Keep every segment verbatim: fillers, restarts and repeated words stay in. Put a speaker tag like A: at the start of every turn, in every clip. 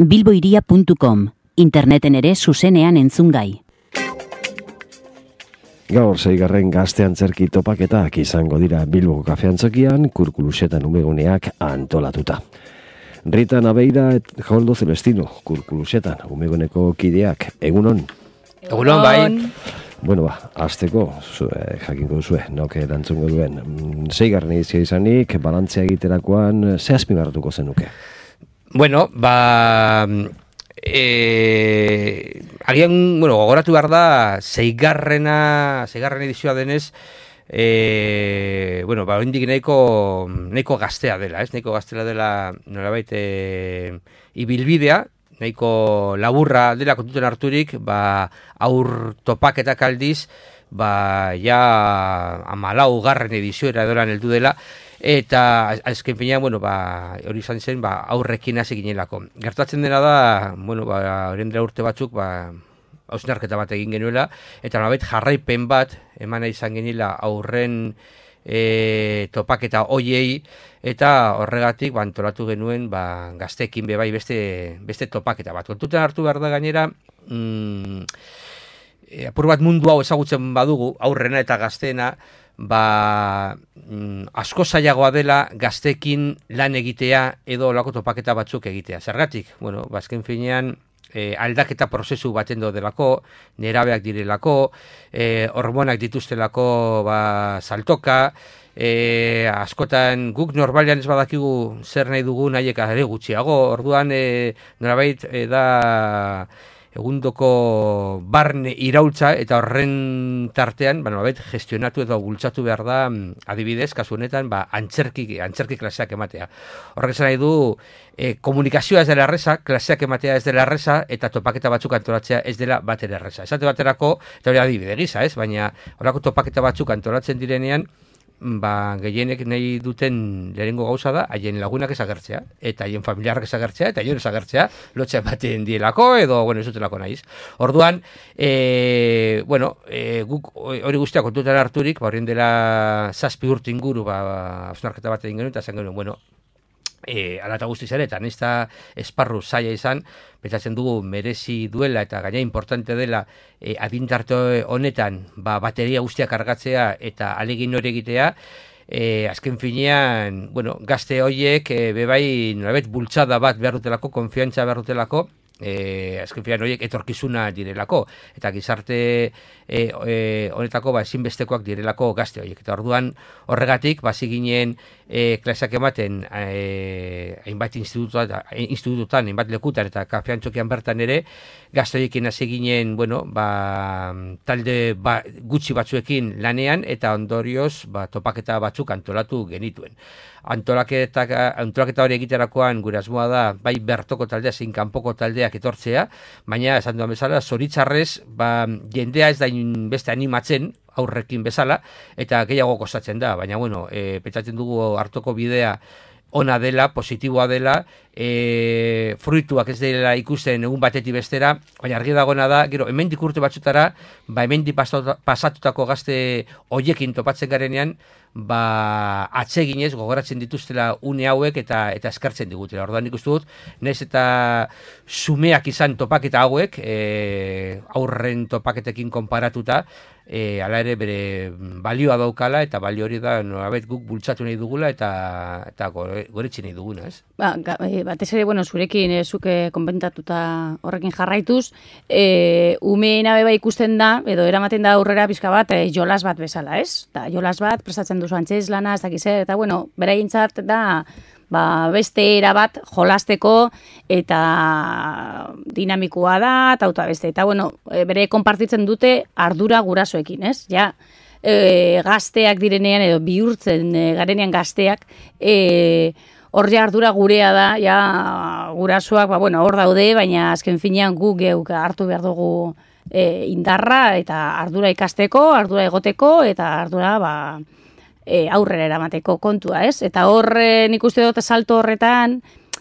A: bilboiria puntu com, interneten ere zuzenean entzungai.
B: Gaur seigarren gazte antzerki topaketak izango dira Bilboko Kafe Antzokian, Kurkulusetan umeguneak antolatuta. Rita Nabeira et Joldo Celestino, Kurkulusetan umeguneko kideak, egunon?
C: Egunon, bai.
B: Bueno, ba, azteko, zue, jakinko duzue, nok erantzungo duen. Seigarren edizio izanik, balantzea egiterakoan, ze azpimarratuko zenuke?
C: Bueno, ba... E, agian, bueno, gogoratu behar da, seigarrena, seigarren edizioa denez, e, bueno, ba, oindik nahiko, nahiko gaztea dela, ez? Nahiko gaztea dela, nolabait, e, ibilbidea, nahiko laburra dela kontuten harturik, ba, aur topaketak aldiz, ba, ja, amalau garren edizioera edoran heldu dela, eta azken finean, bueno, ba, hori izan zen, ba, aurrekin hasi ginelako. Gertatzen dena da, bueno, ba, horien dela urte batzuk, ba, hausnarketa bat egin genuela, eta nolabait jarraipen bat, emana izan genila aurren e, topaketa hoiei, eta horregatik, ba, antolatu genuen, ba, gazteekin bebai beste, beste topaketa bat. Kontutan hartu behar da gainera, mm, e, apur bat mundu hau ezagutzen badugu, aurrena eta gazteena, ba, mm, asko zailagoa dela gazteekin lan egitea edo olako topaketa batzuk egitea. Zergatik? Bueno, bazken finean e, aldaketa prozesu baten delako, nerabeak direlako, e, hormonak dituztelako ba, saltoka, e, askotan guk normalean ez badakigu zer nahi dugu nahiek are gutxiago, orduan e, norabait e, da... egundoko barne iraultza eta horren tartean, ba, nolabait, gestionatu edo bultzatu behar da, adibidez, kasu honetan, ba, antzerki, antzerki klaseak ematea. Horrek esan nahi du, e, komunikazioa ez dela erreza, klaseak ematea ez dela erreza, eta topaketa batzuk antolatzea ez dela batera erreza. Esate baterako, eta hori adibide gisa, ez? Baina horako topaketa batzuk antolatzen direnean, ba, gehienek nahi duten lehenengo gauza da, haien lagunak ezagertzea, eta haien familiarrak ezagertzea, eta haien ezagertzea, lotxa ematen dielako, edo, bueno, ez dutelako nahiz. Orduan, e, bueno, e, guk hori guztiak kontutan harturik, ba, horien dela zazpi urte inguru, ba, hausnarketa bat egin genuen, eta zen genuen, bueno, E, alata guztiz ere, eta nesta esparru zaila izan, pentsatzen dugu merezi duela eta gaina importante dela e, adintarte honetan ba, bateria guztiak kargatzea eta alegin hori egitea, e, azken finean, bueno, gazte horiek e, bebai nolabait bultzada bat behar dutelako, konfiantza behar dutelako, E, azken finean horiek etorkizuna direlako, eta gizarte e, e, honetako ba, ezinbestekoak direlako gazte horiek. Eta orduan horregatik, basi ginen e, klaseak ematen e, hainbat institututan, institututan, hainbat lekutan eta Kafe Antzokian bertan ere, gazte horiekin hasi ginen, bueno, ba, talde ba, gutxi batzuekin lanean, eta ondorioz ba, topaketa batzuk antolatu genituen. Antolaketa, antolaketa hori egiterakoan gure asmoa da bai bertoko taldea zein kanpoko taldeak etortzea, baina esan duan bezala zoritzarrez ba, jendea ez da beste animatzen aurrekin bezala eta gehiago kostatzen da, baina bueno, e, pentsatzen dugu hartoko bidea ona dela, positiboa dela, e, fruituak ez dela ikusten egun batetik bestera, baina argi dagoena da, gero, hemendik urte batzutara, ba, hemendik pasatutako gazte hoiekin topatzen garenean, ba, atseginez gogoratzen dituztela une hauek eta eta eskartzen digutela. Orduan nik uste dut, nahiz eta sumeak izan topaketa hauek, e, aurren topaketekin konparatuta, e, ala ere bere balioa daukala, eta balio hori da nolabait guk bultzatu nahi dugula eta eta goretsi nahi duguna, ez?
D: Ba, batez ere, bueno, zurekin e, zuke konbentatuta horrekin jarraituz, e, umeena beba ikusten da, edo eramaten da aurrera pixka bat, e, jolas bat bezala, ez? Ta, jolas bat, prestatzen duzu antzez lana, ez dakiz, eta bueno, beraientzat da ba, beste era bat jolasteko eta dinamikoa da, eta auta beste. Eta bueno, bere konpartitzen dute ardura gurasoekin, ez? Ja, e, gazteak direnean, edo bihurtzen e, garenean gazteak, e, hor ja ardura gurea da, ja gurasoak, ba, bueno, hor daude, baina azken finean gu geuk hartu behar dugu e, indarra, eta ardura ikasteko, ardura egoteko, eta ardura, ba, E, aurrera eramateko kontua, ez? Eta hor e, nik uste dut salto horretan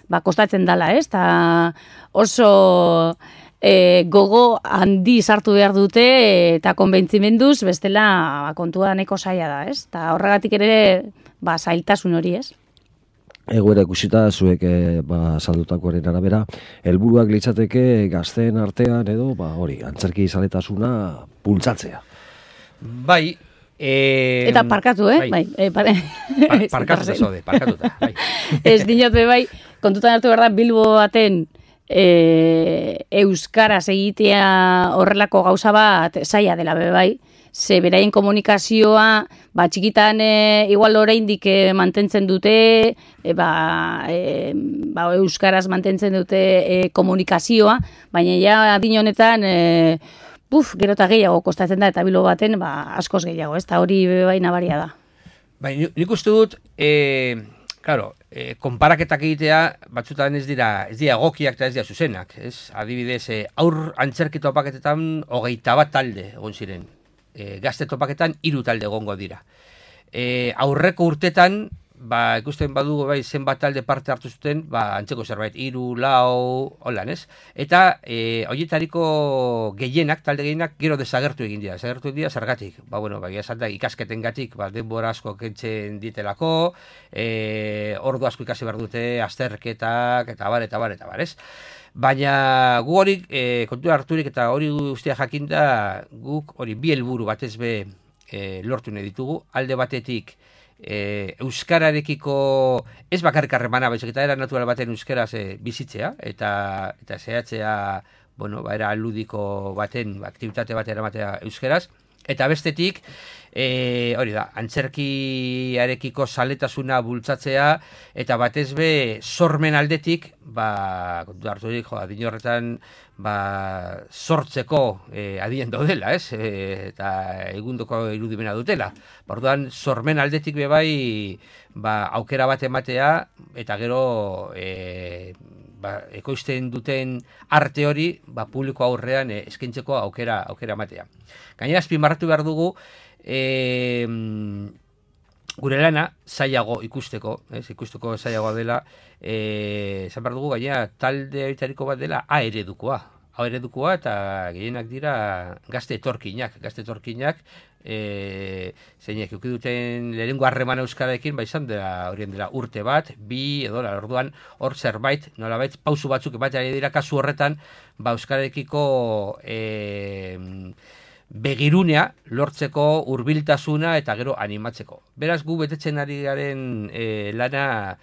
D: ba, kostatzen dala, ez? Ta oso e, gogo handi sartu behar dute eta konbentzimenduz bestela ba, kontua neko zaila da, ez? Ta horregatik ere ba, zailtasun hori, ez?
B: egoera ikusita zuek e, ba, saldutakoaren arabera, helburuak litzateke gazteen artean edo ba, hori, antzerki zaletasuna bultzatzea.
C: Bai, e...
D: Eta parkatu, eh? Bai, bai e, pare...
C: Par, parkatuta zaude, parkatuta. Bai.
D: Ez dinot be bai, kontutan hartu behar da Bilbo baten e, euskaraz egitea horrelako gauza bat zaila dela be bai. Ze beraien komunikazioa, ba, txikitan e, igual oraindik e, mantentzen dute, e, ba, e, ba, euskaraz mantentzen dute e, komunikazioa, baina ja adin honetan, e, buf, gero eta gehiago kostatzen da, eta Bilbo baten, ba, askoz gehiago, ez da hori bai nabaria da.
C: Bai, nik uste dut, e, claro, e, konparaketak egitea, batzutan ez dira, ez dira egokiak eta ez dira zuzenak, ez? Adibidez, e, aur antzerki topaketetan hogeita bat talde egon ziren. E, gazte topaketan hiru talde egongo dira. E, aurreko urtetan, ba, ikusten badugu bai zenbat talde parte hartu zuten, ba, antzeko zerbait, hiru, lau, holan, ez? Eta e, horietariko gehienak, talde gehienak, gero desagertu egin dira. Desagertu egin dira, zergatik? Ba, bueno, ba, esan da, ikasketengatik, ba, denbora asko kentzen ditelako, e, ordu asko ikasi behar dute, azterketak, eta bar, eta bar, eta bar, ez? Baina gu hori e, kontura harturik eta hori guztia jakinda guk hori bi helburu batez be e, lortu nahi ditugu. Alde batetik e, euskararekiko ez bakarrik harremana, baizik eta era natural baten euskaraz e, bizitzea eta eta zehatzea, bueno, ba, era ludiko baten, aktibitate bat eramatea euskaraz. Eta bestetik, e, hori da, antzerkiarekiko zaletasuna bultzatzea, eta batez be, sormen aldetik, ba, kontu harturik, jo, adin horretan, ba, sortzeko e, adien daudela, ez? E, eta egundoko irudimena dutela. Orduan, sormen aldetik be bai, ba, aukera bat ematea, eta gero, e, ba, ekoizten duten arte hori, ba, publiko aurrean e, eskaintzeko aukera aukera ematea. Gainera azpimarratu behar dugu, e, gure lana zailago ikusteko, ez, ikusteko zailagoa dela, e, zan behar dugu, gainera talde horitariko bat dela A eredukoa. A eredukoa eta gehienak dira gazte etorkinak, gazte etorkinak, e, zeinek eukiduten lehenengo harreman euskararekin, ba izan dela horien dela urte bat, bi edo orduan hor zerbait, nolabait pausu batzuk ematea dira kasu horretan, ba euskararekiko e, begirunea lortzeko hurbiltasuna eta gero animatzeko. Beraz gu betetzen ari garen e, lana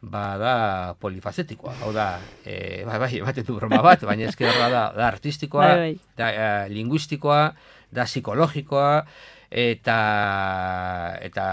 C: ba da polifazetikoa, hau da, e, bai, bai, ematen du broma bat, baina ezkerra da, da artistikoa,
D: bai, bai.
C: da e, linguistikoa, da psikologikoa, eta eta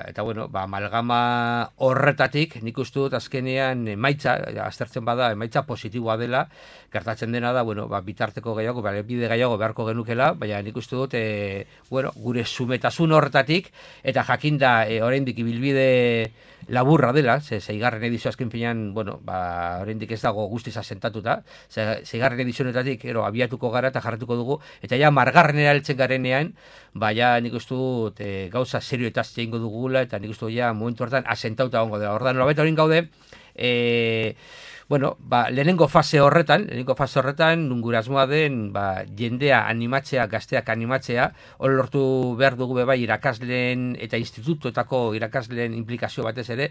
C: eta bueno, ba amalgama horretatik nik uste dut azkenean emaitza aztertzen bada emaitza positiboa dela. Gertatzen dena da, bueno, ba bitarteko gehiago, ba bide gehiago beharko genukela, baina nik uste dut e, bueno, gure sumetasun horretatik eta jakinda e, oraindik ibilbide laburra dela, ze seigarren edizio azken finean, bueno, ba oraindik ez dago guztiz asentatuta. Ze seigarren edizionetatik ero abiatuko gara eta jarratuko dugu eta ja margarrenera heltzen garenean, ba ja nik uste dut e, gauza serioetaz egingo dugula eta nik uste dut ja momentu hortan asentauta egongo dela. Ordan nolabait orain gaude, eh bueno, ba, lehenengo fase horretan, lehenengo fase horretan, gure asmoa den, ba, jendea animatzea, gazteak animatzea, hor lortu behar dugu bebai irakasleen eta institutuetako irakasleen implikazio batez ere,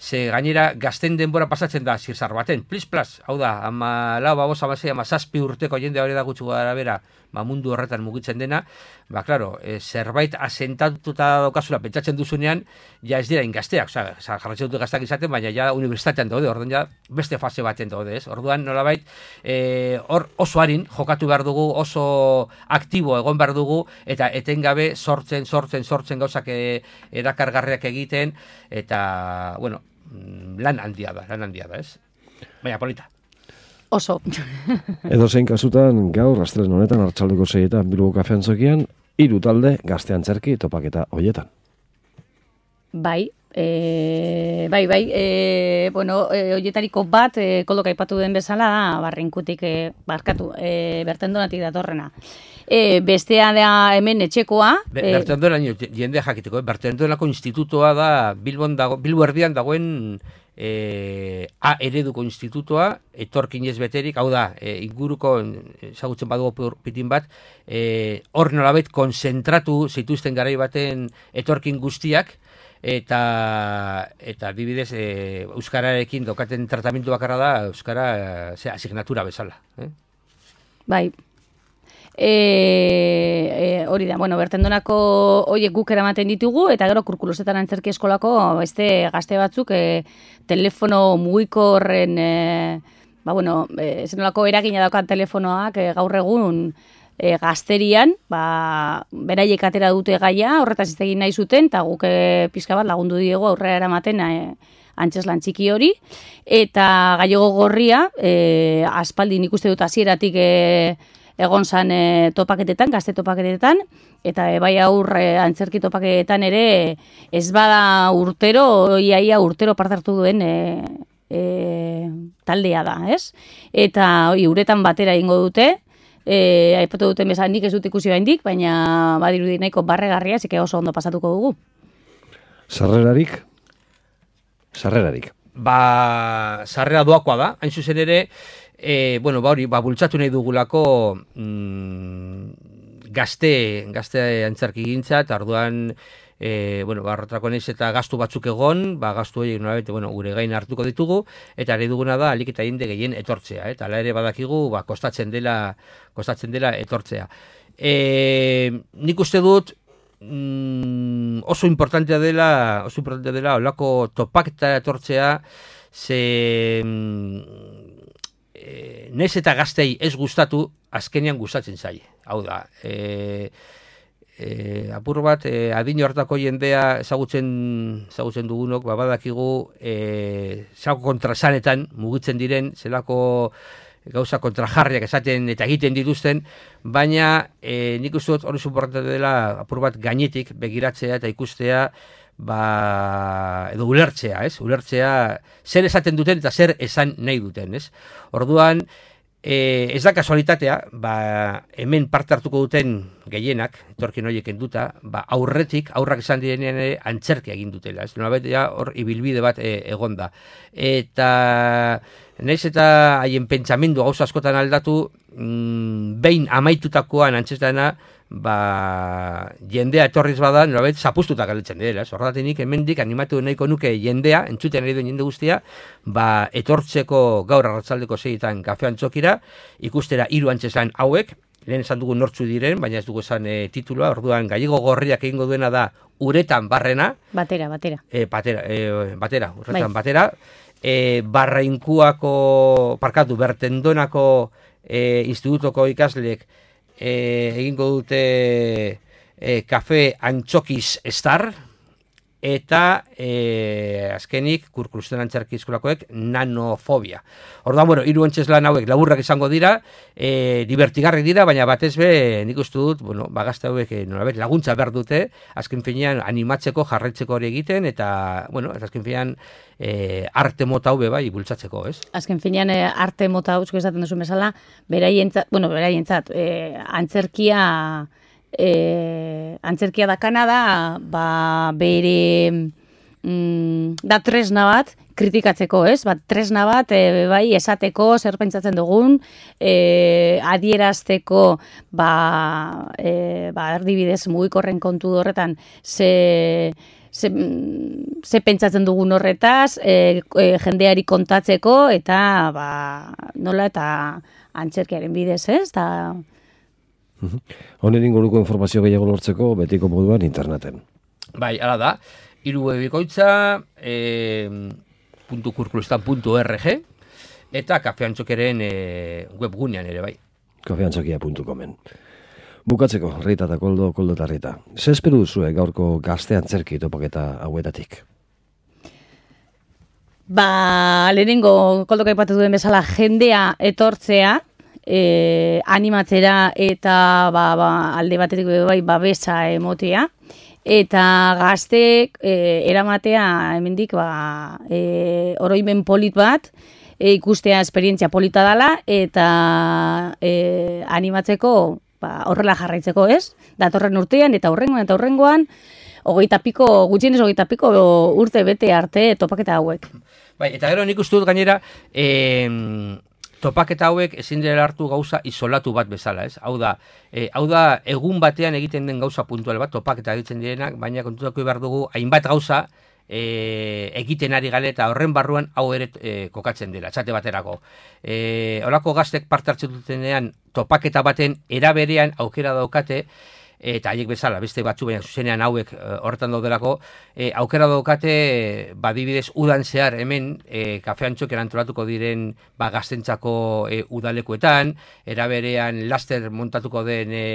C: ze gainera gazten denbora pasatzen da zirzar baten, plis plas, hau da, ama lau, babos, ama zei, ama zazpi urteko jende hori da gutxu gara bera, ba, mundu horretan mugitzen dena, ba, klaro, e, zerbait asentatuta daukazula pentsatzen duzunean, ja ez dira ingazteak, oza, jarratzen dut gazteak izaten, baina ja universitatean daude, orduan ja beste fase baten daude, ez? Orduan nolabait, e, hor oso harin jokatu behar dugu, oso aktibo egon behar dugu, eta etengabe sortzen, sortzen, sortzen gauzak e, erakargarriak egiten, eta, bueno, lan handia da, lan handia da, ez? Baina, polita.
D: Oso.
B: Edo zein kasutan, gaur, astelehen honetan, arratsaldeko seietan, Bilbo Kafean zokian, hiru talde gazte antzerki topaketa hoietan.
D: Bai, e, bai, bai, e, bueno, e, hoietariko bat, e, kolok aipatu den bezala da, barrinkutik, e, barkatu, e, bertendonatik datorrena. E, bestea da hemen etxekoa.
C: Be, e, Bertendona, jende jakiteko, eh? Bertendonako institutoa da, Bilbon dago, Bilbo erdian dagoen e, A ereduko institutoa, etorkinez beterik, hau da, e, inguruko, ezagutzen badugu pitin bat, e, hor nolabait konzentratu zituzten garai baten etorkin guztiak, eta eta adibidez e, euskararekin daukaten tratamendu bakarra da euskara e, ze asignatura bezala. Eh?
D: Bai. E, e, hori da, bueno, bertendonako horiek guk eramaten ditugu, eta gero Kurkulusetan antzerki eskolako beste gazte batzuk e, telefono mugiko horren, e, ba, bueno, e, zenolako eragina daukat telefonoak e, gaur egun e, gazterian, ba, beraiek atera dute gaia, horretaz hitz egin nahi zuten, eta guk e, pixka bat lagundu diegu aurrera eramaten e, antzeslan txiki hori, eta Gallego Gorria, e, aspaldi nik uste dut hasieratik e, egon zan e, topaketetan, gazte topaketetan, eta e, bai aurre antzerki topaketetan ere ez bada urtero, iaia urtero parte hartu duen e, e, taldea da, ez? Eta oi, uretan batera ingo dute, e, aipatu duten bezala nik ez dut ikusi baindik, baina badirudi nahiko barregarria, zike oso ondo pasatuko dugu.
B: Sarrerarik? Sarrerarik.
C: Ba, sarrera doakoa da, hain zuzen ere, E, bueno, ba hori, ba, bultzatu nahi dugulako mm, gazte, gazte antzerki gintza, eta orduan, e, bueno, ba, arrotrako naiz eta gastu batzuk egon, ba, gastu horiek nolabete, bueno, gure gain hartuko ditugu, eta nahi duguna da, alik eta jende gehien etortzea, eta ala ere badakigu, ba, kostatzen dela, kostatzen dela etortzea. E, nik uste dut, mm, oso importantea dela, oso importantea dela, olako topaketa etortzea, ze... Mm, E, nez eta gaztei ez gustatu, azkenean gustatzen zaie. Hau da, e, e, apur bat, e, adin hortako jendea ezagutzen, ezagutzen dugunok, babadakigu, e, zelako kontrasanetan mugitzen diren, zelako gauza kontrajarriak esaten eta egiten dituzten, baina e, nik uste dut hori suportatu dela apur bat gainetik begiratzea eta ikustea, ba, edo ulertzea, ez? Ulertzea zer esaten duten eta zer esan nahi duten, ez? Orduan, e, ez da kasualitatea, ba, hemen parte hartuko duten gehienak, etorkin horiek enduta, ba, aurretik, aurrak esan direnean ere antzerkia egin dutela, ez? Nolabait ja hor ibilbide bat e, egonda. Eta naiz eta haien pentsamendu gauza askotan aldatu, mm, behin amaitutakoan antzestana, ba, jendea etorriz bada, nolabait, zapustuta galetzen dira. Horretatik hemendik animatu nahiko nuke jendea, entzuten ari duen jende guztia, ba, etortzeko gaur arratsaldeko seitan kafe antzokira, ikustera hiru antzeslan hauek, lehen esan dugu nortzu diren, baina ez dugu esan e, titulua, orduan Gallego Gorriak egingo duena da uretan barrena.
D: Batera, batera.
C: E, batera, e, batera, uretan bai. batera. E, Barrainkuako, parkatu, Bertendonako e, institutoko ikasleek E, egingo dute e, kafe antxokiz estar, eta e, azkenik Kurkulusetan antzerki eskolakoek nanofobia. Orduan, bueno, hiru antzeslan hauek laburrak izango dira, e, divertigarri dira, baina batez be, nik uste dut, bueno, bagazte hauek e, nolabait laguntza behar dute, azken finean animatzeko, jarraitzeko hori egiten, eta, bueno, azken finean e, arte mota hau bai bultzatzeko, ez?
D: Azken finean e, arte mota hau, esaten duzu bezala, beraientzat, bueno, beraientzat, e, antzerkia... E, antzerkia dakana da, ba, bere mm, da tresna bat kritikatzeko, ez? Ba, tresna bat e, bai esateko zer pentsatzen dugun, e, adierazteko, ba, e, ba, erdibidez mugikorren kontu horretan ze, ze, ze pentsatzen dugun horretaz, e, e, jendeari kontatzeko, eta ba, nola eta antzerkiaren bidez, ez? Ta,
B: Honen inguruko informazio gehiago lortzeko betiko moduan interneten.
C: Bai, hala da. Hiru webikoitza e, .kurkulusetan.org eta Kafe Antxokeren e, webgunean ere bai.
B: kafeantzokia puntu comen. Bukatzeko, Rita eta Koldo, Koldo eta Rita. Ze esperu duzue gaurko gazte antzerki topaketa hauetatik?
D: Ba, lehenengo Koldok aipatu duen bezala jendea etortzea, E, animatzera eta ba, ba, alde batetik bai babesa emotea, eta gazteek e, eramatea hemendik ba, e, oroimen polit bat, e, ikustea esperientzia polita dela, eta e, animatzeko ba, horrela jarraitzeko, ez? Datorren urtean eta horrengoan eta horrengoan hogeita piko, gutxienez hogeita piko urte bete arte topaketa hauek.
C: Bai, eta gero nik uste dut gainera, e, topaketa hauek ezin dela hartu gauza isolatu bat bezala, ez? Hau da, e, hau da egun batean egiten den gauza puntual bat, topaketa egiten direnak, baina kontutako behar dugu hainbat gauza e, egiten ari gale eta horren barruan hau ere e, kokatzen dela, txate baterako. E, Horako gaztek parte hartzen dutenean topaketa baten eraberean aukera daukate, eta haiek bezala, beste batzu baina zuzenean hauek horretan daudelako, e, aukera daukate, badibidez, udan zehar hemen, e, kafe antxok erantolatuko diren ba, gaztentzako e, udalekuetan, eraberean laster montatuko den e,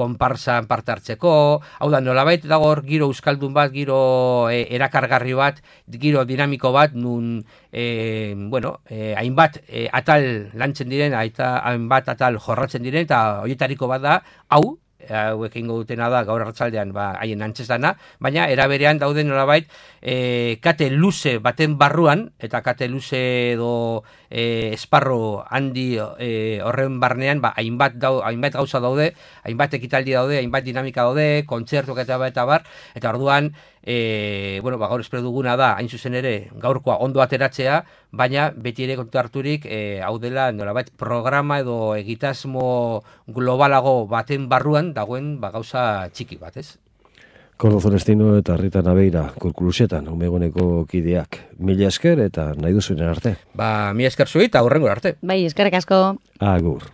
C: konparsan parte hartzeko, hau da, nolabait dago hor giro euskaldun bat, giro e, erakargarri bat, giro dinamiko bat, nun, e, bueno, e, hainbat e, atal lantzen diren, aita, hainbat atal jorratzen diren, eta horietako bat da, hau, hauek egingo dutena da gaur arratsaldean ba haien antzestana, baina eraberean dauden nolabait e, kate luze baten barruan eta kate luze edo e, esparro handi e, horren barnean ba hainbat dau, hainbat gauza daude, hainbat ekitaldi daude, hainbat dinamika daude, kontzertuak eta eta bar, eta orduan E, bueno, ba, gaur espero duguna da, hain zuzen ere, gaurkoa ondo ateratzea, baina beti ere kontu harturik, e, hau dela, nolabait, programa edo egitasmo globalago baten barruan dagoen ba, gauza txiki bat, ez?
B: Koldo Celestino eta Rita Nabeira, Kurkulusetan, umegoneko kideak. Mila esker eta nahi duzuenen arte.
C: Ba, mila esker zui eta hurrengo arte.
D: Bai, eskerrik asko.
B: Agur.